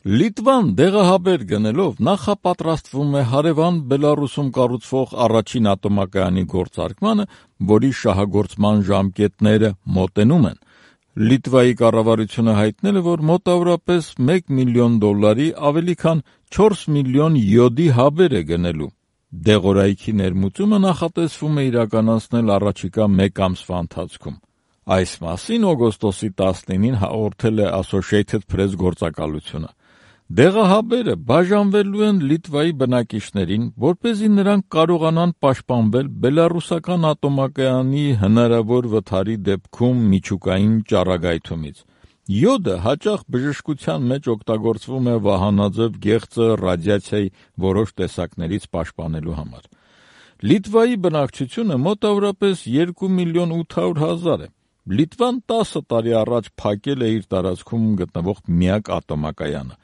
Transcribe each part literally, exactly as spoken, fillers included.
Լիտվան դեղահաբեր գնելով նախապատրաստվում է հարևան Բելարուսում կառուցվող առաջին ատոմակայանի գործարկմանը, որի շահագործման ժամկետները մոտենում են։ Լիտվայի կառավարությունը հայտնել է, որ մոտավորապես մեկ միլիոն դոլարի ավելի քան չորս միլիոն յոդի հաբեր է գնելու։ Դեղորայքի ներմուծումը նախատեսվում է իրականացնել առաջիկա մեկ ամսվա ընթացքում։ Այս մասին օգոստոսի տասնինին հաղորդել է Associated Press գործակալությունը։ Դեղահաբերը բաժանվելու են Լիտվայի բնակիչներին, որպեսզի նրանք կարողանան պաշտպանվել բելառուսական ատոմակայանի հնարավոր վթարի դեպքում միջուկային ճառագայթումից։ Յոդը հաճախ բժշկության մեջ օգտագործվում է վահանաձև գեղձը ռադիացիայի որոշ տեսակներից պաշտպանելու համար։ Լիտվայի բնակչությունը մոտավորապես երկու միլիոն ութ հարյուր հազար է։ Լիտվան տասը տարի առաջ փակել է իր տարածքում գտնվող միակ ատոմակայանը,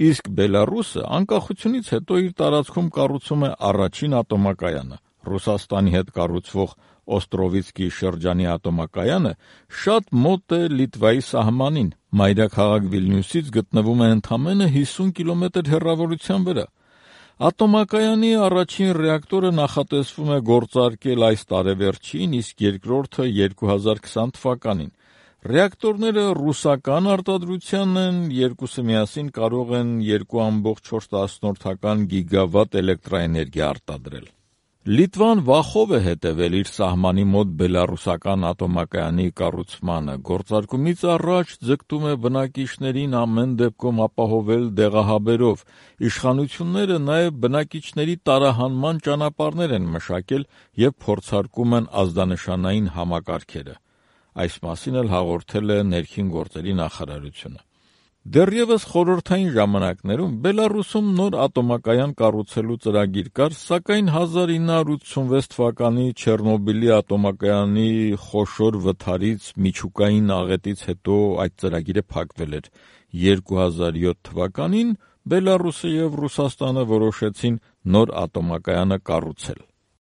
իսկ Բելառուսը անկախությունից հետո իր տարածքում կառուցում է առաջին ատոմակայանը։ Ռուսաստանի հետ կառուցվող Օստրովիցկի շրջանի ատոմակայանը շատ մոտ է Լիտվայի սահմանին, մայրաքաղաք Վիլնյուսից գտնվում է ընդամենը հիսուն կիլոմետր հեռավորության վրա։ Ատոմակայանի առաջին ռեակտորը նախատեսվում է գործարկել այս տարեվերջին, իսկ երկրորդը երկու հազար քսան թվականին։ Ռեակտորները ռուսական արտադրության են, երկուսը միասին կարող են երկու կoma չորս գիգավատ էլեկտրաէներգիա արտադրել։ Լիտվան վախով է հետևել իր սահմանի մոտ բելառուսական ատոմակայանի կառուցմանը, գործարկումից առաջ ձգտում է բնակիչներին ամեն դեպքում ապահովել դեղահաբերով։ Իշխանությունները նաև բնակիչների տարահանման ճանապարհներ են մշակել և փորձարկում են ազդանշանային համակարգերը։ Այս մասին էլ հաղորդել է ներքին գործերի նախարարությունը։ Դեռևս խորհրդային ժամանակներում Բելառուսում նոր ատոմակայան կառուցելու ծրագիր կար, սակայն հազար ինը հարյուր ութսունվեց թվականի Չեռնոբիլի ատոմակայանի խոշոր վթարից միջուկային աղետից հետո այդ ծրագիրը փակվել էր։ երկու հազար յոթ թվականին Բելառուսը և Ռուսաստանը որոշեցին նոր ատոմակայանը կառուցել։